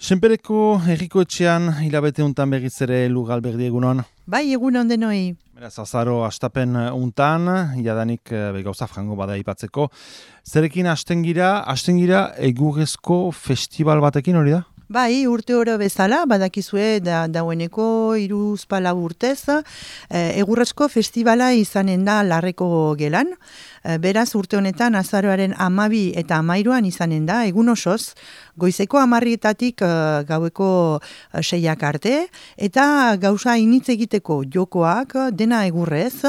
Senpereko herriko etxean hilabete untan berriz ere Lugalberdi egunon. Bai, egun ondenoi. Beraz, azaro astapen untan, jadanik gauza frango bada ipatzeko. Zerekin hasten gira egurrezko festival batekin hori da? Bai, urte oro bezala, badakizue daueneko 3-4 urtez, egurrezko festivala izanen da Larreko gelan. Beraz, urte honetan azaroaren 12 eta 13 izanen da, egun osoz, goizeko 10:00 gaueko 6 arte, eta gauza initz egiteko jokoak dena egurrez,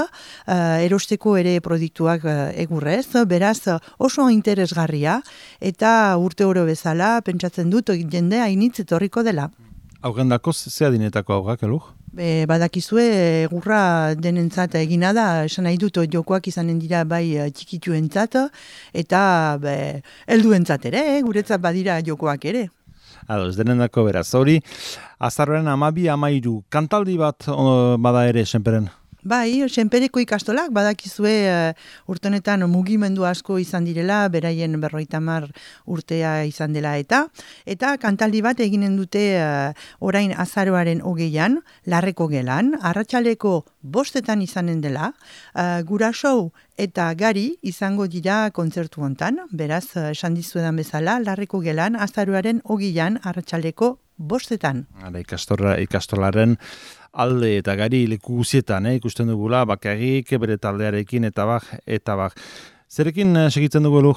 erosteko ere produktuak egurrez, beraz oso interesgarria, eta urte oro bezala pentsatzen dut jendea initz etorriko dela. Aurrendako zea dinetako aurrak, elur? Badakizue egurra denentzat egina da, esan nahi dut jokoak izanen dira bai txikituentzat eta helduentzat ere, guretzat badira jokoak ere. Ados, denendako beraz, hori azaroaren 12-13 kantaldi bat bada ere senperen? Bai, senpereko ikastolak, badakizue urte honetan mugimendu asko izan direla, beraien 50 urtea izan dela eta kantaldi bat eginen dute orain azaroaren 20an, Larreko gelan, arratsaleko 5 izanen dela, guraso eta gari izango dira kontzertu hontan, beraz, esan dizuedan bezala, Larreko gelan, azaroaren 20an, arratsaleko 5. Ikastolaren alde eta gari leku guzietan, ikusten dugula, bakarrik, bere taldearekin, eta bak. Zerekin segitzen dugu elu?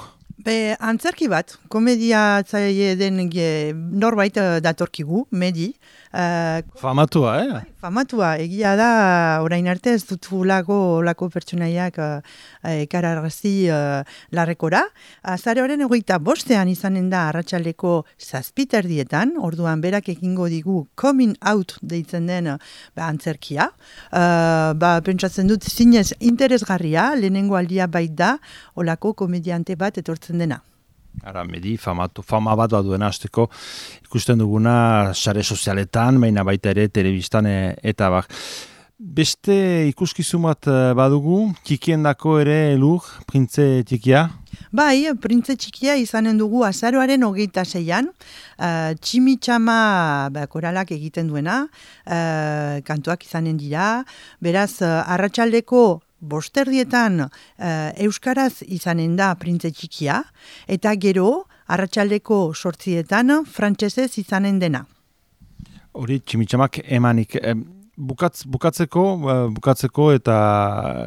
Antzerki bat, komedia zaile den norbait datorkigu, Medi. Famatua, Famatua, egia da, orain arte ez dut olako pertsonaiak ekararazi Larrekora. Azaroaren 25 izanen da arratsaldeko 7:00, orduan berak egingo digu coming out deitzen den antzerkia. Pentsatzen dut zinez interesgarria, lehenengo aldia bait da, olako komediante bat etortzen dena. Ara, Medi, fama bat duena hasteko ikusten duguna sare sozialetan, baina baita ere telebistan eta bak. Beste ikuskizun bat badugu, txikiendako ere elur, printze txikia? Bai, printze txikia izanen dugu azaroaren 26an, Tximitxama koralak egiten duena, kantuak izanen dira, beraz, arratsaldeko 5:00 euskaraz izanen da printze txikia, eta gero arratsaldeko 8:00 frantsesez izanen dena. Hori Tximitxamak emanik. Bukatzeko eta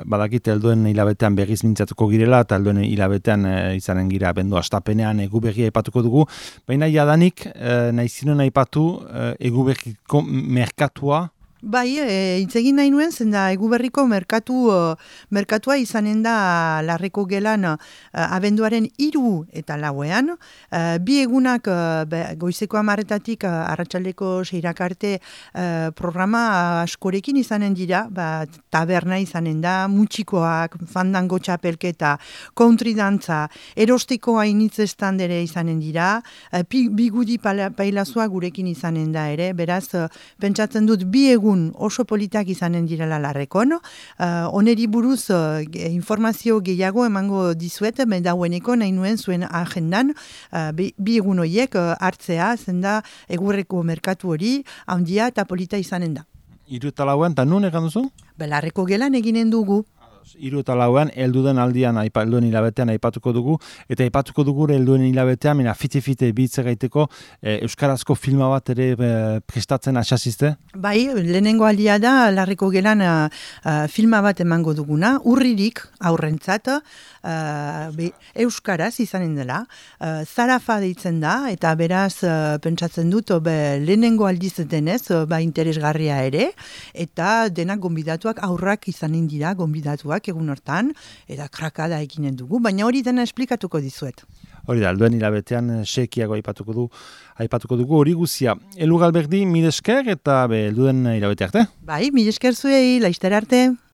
badakit helduen hilabetean berriz mintzatuko girela eta helduen hilabetean izanen gira abendu astapenean eguberria aipatuko dugu. Baina jadanik naizinen aipatu eguberriko merkatua. Bai, itzegin nahi nuen, zenda eguberriko merkatua izanen da Larreko gelan abenduaren 3 eta 4. Bi egunak goizeko 10:00 arratsaldeko 6 arte programa askorekin izanen dira, taberna izanen da, mutxikoak, fandango txapelketa, country dantza, erostiko hainitz estandere izanen dira, bigudi pailazua gurekin izanen da ere, beraz, pentsatzen dut bi egun oso politak izanen direla Larrekon. Oneri buruz informazio gehiago emango dizuet, daueneko nahi nuen zuen agendan bi egun horiek hartzea, zenda egurreko merkatu hori handia eta polita izanen da. 3 eta 4 eta nun egan duzu? Larreko gelan eginen dugu. 3 eta 4 helduen aldian helduen hilabetean aipatuko dugu, eta aipatuko dugu helduen hilabetean, fite bitze gaiteko euskarazko filma bat ere prestatzen asazizte? Bai, lehenengo aldia da Larreko gelan filma bat emango duguna, urririk aurrentzat, euskaraz izanen dela, Zarafa deitzen da, eta beraz pentsatzen dut lehenengo aldiz denez, interesgarria ere, eta denak gonbidatuak aurrak izanen dira gonbidatuak egun hortan, eta krakada eginen dugu, baina hori dena esplikatuko dizuet. Hori da, helduen hilabetean sekiago aipatuko dugu hori guzia. Lugalberdi, mil esker eta helduen hilabete arte? Bai, mil esker zuei, laizter arte.